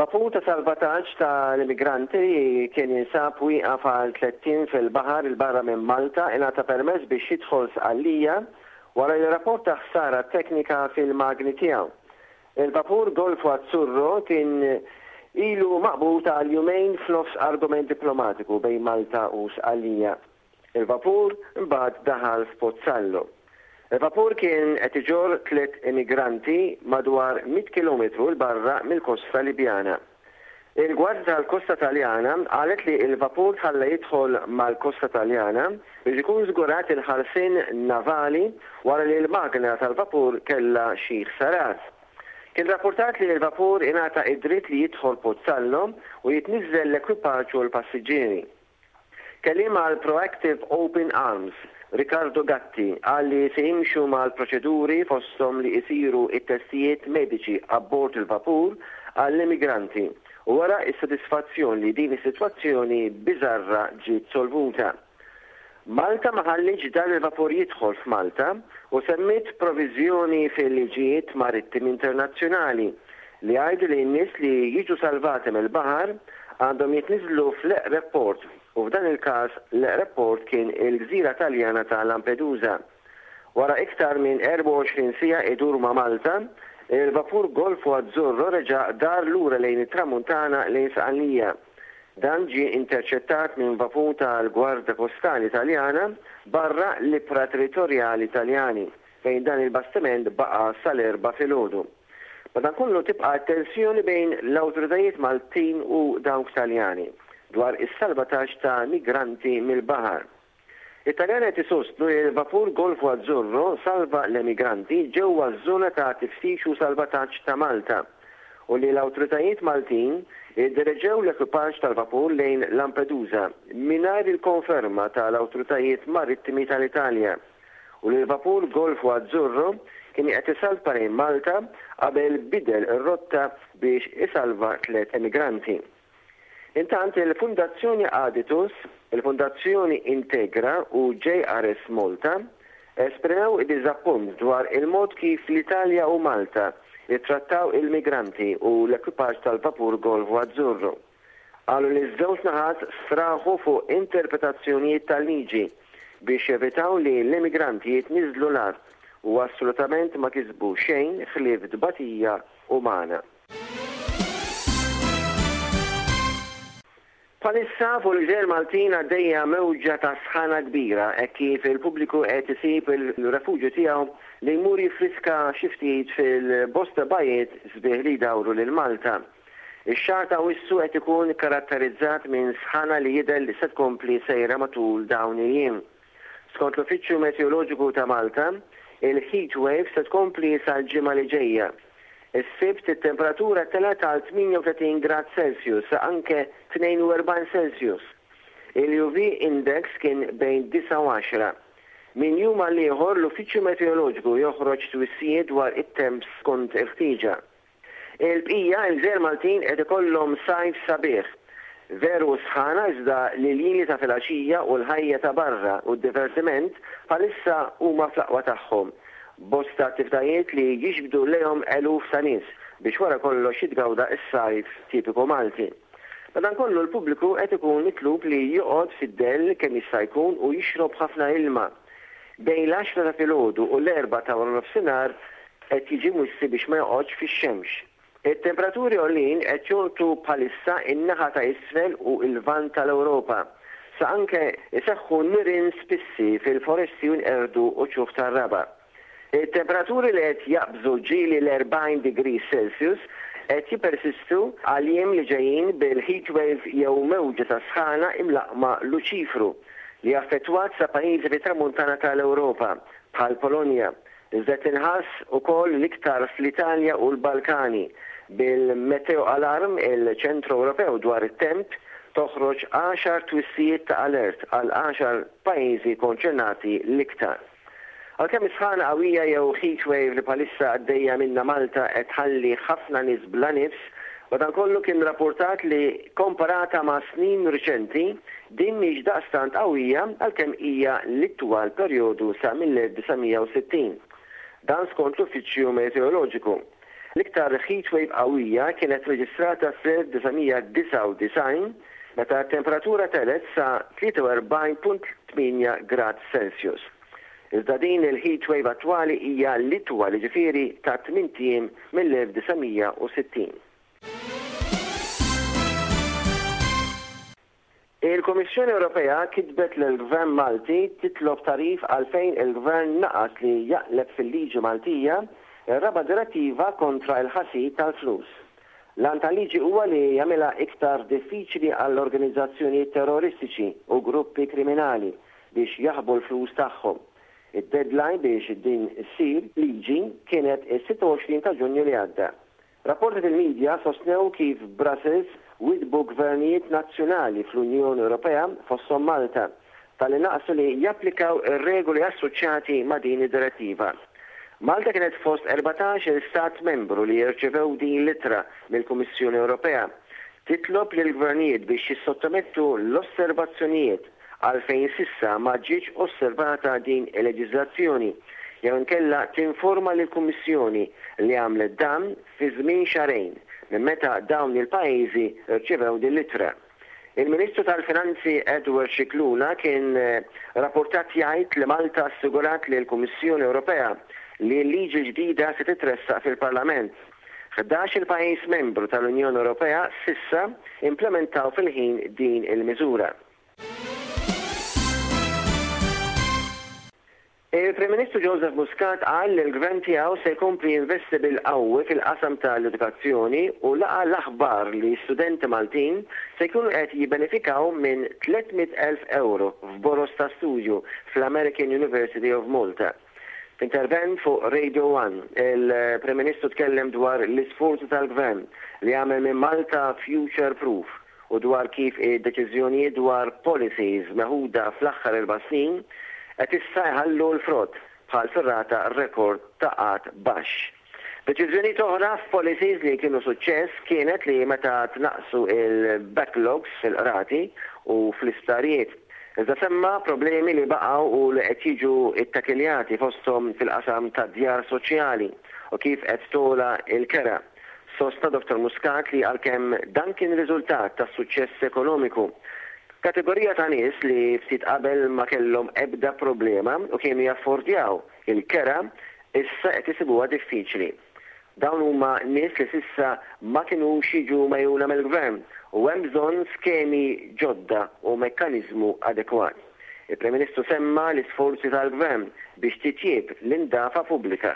Vapur ta' salvataġġ ta' l-immigranti li kien jinsab wieqaf għal tlett ijiem fil-baħar 'il barra minn Malta ingħata permess biex jidħol Sqallija wara li rrapporta ħsara teknika fil-magni tiegħu. Il-vapur Golfo Azzurro kien ilu maqbud għal jumejn f'nofs argument diplomatiku bejn Malta u Sqallija. Il-vapur imbagħad daħal f'Pozzallo. Il-vapur kien qed iġorr tlett immigranti madwar mitt kilometru 'l barra mill-kosta Libjana. Il-Gwardja tal-Kosta Taljana qalet li l-vapur tħalla jidħol mal-kosta Taljana biex ikun żgurat il-ħarsien navali wara li l-magna tal-vapur kellha xi ħsarat. Kien rappurtat li l-vapur ingħata id-dritt li jidħol Pozzallo u jitniżżel l-ekwipaġġ u l-passiġġieri. Kelliem għal Proactive Open Arms, Riccardo Gatti, qal li se jimxu mal-proċeduri fosthom li isiru t-testijiet mediċi abbord il-vapur għall-immigranti u wera s-sodisfazzjon li din is-sitwazzjoni biżarra ġiet solvuta. Malta ma ħallietx dan il-vapur jidħol f'Malta u semmiet proviżjoni fil-liġijiet marittimi internazzjonali li jgħidu li n-nies li jiġu salvati mill-baħar għandhom jitniżżlu fl-eqreb port u f'dan il-każ l-eqreb port kien il-gżira Taljana ta' Lampedusa. Wara iktar minn 24 siegħa idur ma' Malta, il-vapur Golfo Azzurro reġa' dar lura lejn it-Tramuntana lejn Sqallija. Dan ġie interċettat minn vapur tal-Gwarda Kostali Taljana barra l-ibħra territorjali Taljani, fejn dan il-bastiment baqa' sal-Erbgħa filgħodu. Madankollu tibqa' t-tensjoni bejn l-awtoritajiet Maltin u dawk Taljani dwar is-salvataġġ ta' migranti mill-baħar. It-Taljani qed isostnu li l-vapur Golfo Azzurro salva l-emigranti ġewwa ż-żona ta' tiftix u salvataġġ ta' Malta u li l-awtoritajiet Maltin iddereġew l-ekwipaġġ tal-vapur lejn Lampedusa mingħajr il-konferma tal-awtoritajiet marittimi tal-Italja. u li l-vapur Golfo Azzurro kien qed isalpa lejn Malta qabel bidel ir-rotta biex isalva tlett emigranti. Intant il-Fundazzjoni Aditus, il-Fundazzjoni Integra u JRS Malta esprimew id-diżappunt dwar il-mod kif l-Italja u Malta ttrattaw il-migranti u l-ekwipaġġ tal-vapur Golfo Azzurro. Qalu li ż-żewġ naħat straħu fuq interpretazzjonijiet tal-liġi biex jevitaw li l-immigranti jitniżżlu l-art u assolutament ma kisbu xejn ħlief tbatija umana. Bħalissa fuq il-gżejjer Maltin għaddejja mewġa ta' sħana kbira hekk kif il-pubbliku qed isib il-refuġju tiegħu li jmur jiffriska xi ftit fil-bosta bajjiet sbieħ li jdawru lil Malta. Ix-xahar ta' Awwissu qed ikun karatterizzat minn sħana li jidher li se tkompli sejra matul dawn il-jiem. Skont l-Uffiċċju Meteoroloġiku ta' Malta, il-heat wave se tkompli sal-ġimgħa li ġejja. Is-Sibt it-temperatura telgħet għal 38 grad Celsius sa anke 42 Celsius. Il-UV index kien bejn disgħa u għaxra. Minn jum għal ieħor l-Uffiċċju Meteoroloġiku joħroġ twissijiet dwar it-temp skont il-ħtieġa. Il-bqija, il-gżejjer Maltin qed ikollhom sajf sabiħ. Veru sħana iżda l-iljieli ta' filgħaxija u l-ħajja ta' barra u d-divertiment bħalissa huma fl-aqwa tagħhom. Bosta attivitajiet li jiġbdu lejhom eluf ta' nies biex wara kollox jitgawda s-sajf tipiku Malti. Madankollu l-pubbliku qed ikun mitlub li joqgħod fid-dell kemm jista' jkun u jixrob ħafna ilma. Bejn l-għaxra ta' filgħodu u l-erbgħa ta' waranofsinhar qed jiġi mwissi biex ma joqgħodx fix-xemx. It-temperaturi għoljin qed jolqtu bħalissa n-naħa ta' isfel u l-Lvant tal-Ewropa, sa anke jseħħu nirien spissi fil-foresti u jinqerdu uċuħ tar-raba'. It-temperaturi li qed jaqbżu ġieli l-40 degrees Celsius qed jippersistu għall-jiem li ġejjin bil-heat wave jew mewġa ta' sħana imlaqqma Luċifru li affettwat sa pajjiżi fit-Tramuntana tal-Ewropa bħall-Polonja, Iżda tinħass ukoll l-iktar fl-Italja u l-Balkani, bil-Meteoalarm, il-Ċentru Ewropew dwar it-Temp, toħroġ għaxar twissijiet ta' alert għal għaxar pajjiżi konċernati l-iktar. Għalkemm is-sħana qawwija jew heat wave li bħalissa għaddejja minnha Malta qed tħalli ħafna nies bla nifs, madankollu kien rappurtat li komparata ma' snin riċenti, Din mhix daqstant qawwija għalkemm hija l-itwal perjodu sa mill-1960. Dan skont l-Uffiċċju Meteoroloġiku. L-iktar heatwave qawwija kienet reġistrata fl-1999 meta t-temperatura telgħet sa 43.8 grad Celsius. Iżda din il-heatwave attwali hija l-itwal, jiġifieri ta' tmint ijiem mill-1960. Il-Kummissjoni Ewropea kitbet lill-Gvern Malti titlob tagħrif għalfejn il-Gvern naqas li jaqleb fil-liġi Maltija r-raba' direttiva kontra l-ħasil tal-flus. L-għan tal-liġi huwa li jagħmilha iktar diffiċli għall-organizzazzjonijiet terroristiċi u gruppi kriminali biex jaħbu l-flus tagħhom. Id-deadline biex din issir liġi kienet is-26 ta' Ġunju li għadda. Rapporti fil-midja sostnew kif Brussels widdbu gvernijiet nazzjonali fl-Unjoni Ewropea, fosthom Malta, talli naqsu li japplikaw ir-regoli assoċjati ma' din id-direttiva. Malta kienet fost 14-il stat membru li rċevew din l-ittra mill-Kummissjoni Ewropea titlob lill-gvernijiet biex jissottomettu l-osservazzjonijiet għalfejn s'issa ma ġietx osservata din il-leġiżlazzjoni jew inkella tinforma lill-Kummissjoni li għamlet dan fi żmien xahrejn minn meta dawn il-pajjiżi rċevew din l-ittra. Il-Ministru tal-Finanzi Edward Scicluna kien rapportat jgħid li Malta assigurat lill-Kummissjoni Ewropea li l-liġi l-ġdida se titressaq fil-Parlament. Ħdax-il pajjiż membru tal-Unjoni Ewropea s'issa implementaw fil-ħin din il-miżura. Il-Prim Ministru Joseph Muscat qal li l-Gvern tiegħu se jkompli jinvesti bil-qawwi fil-qasam tal-edukazzjoni u laqa' l-aħbar li studenti Maltin se jkunu qed jibbenefikaw minn 300,000 ewro f'boroż ta' studju fl-American University of Malta. F'intervent fuq Radio One, il-Prim Ministru tkellem dwar l-isforzi tal-Gvern li jagħmel minn Malta future proof u dwar kif id-deċiżjonijiet dwar policies meħuda fl-aħħar erba' snin qed issa jħallu l-frott, bħal fir-rata rekord ta' qgħad baxx. Deċiżjonijiet oħra f'policies li kienu suċċess kienet li meta tnaqqsu l-backlogs fil-qrati u fl-isptarijiet. Iżda semma problemi li baqgħu u li qed jiġu ittakiljati fosthom fil-qasam tad-djar soċjali u kif qed togħla l-kera. Sostna Dottor Muscat li għalkemm dan kien riżultat tas-suċċess ekonomiku, kategorija ta' nies li ftit qabel ma kellhom ebda problema u kienu jaffordjaw il-kera issa qed isibuha diffiċli. Dawn huma nies li s'issa ma kinux jiġu megħjuna mill-Gvern u hemm bżonn skemi ġodda u mekkaniżmu adekwat. Il-Prim Ministru semma l-isforzi tal-Gvern biex titjieb l-indafa pubblika.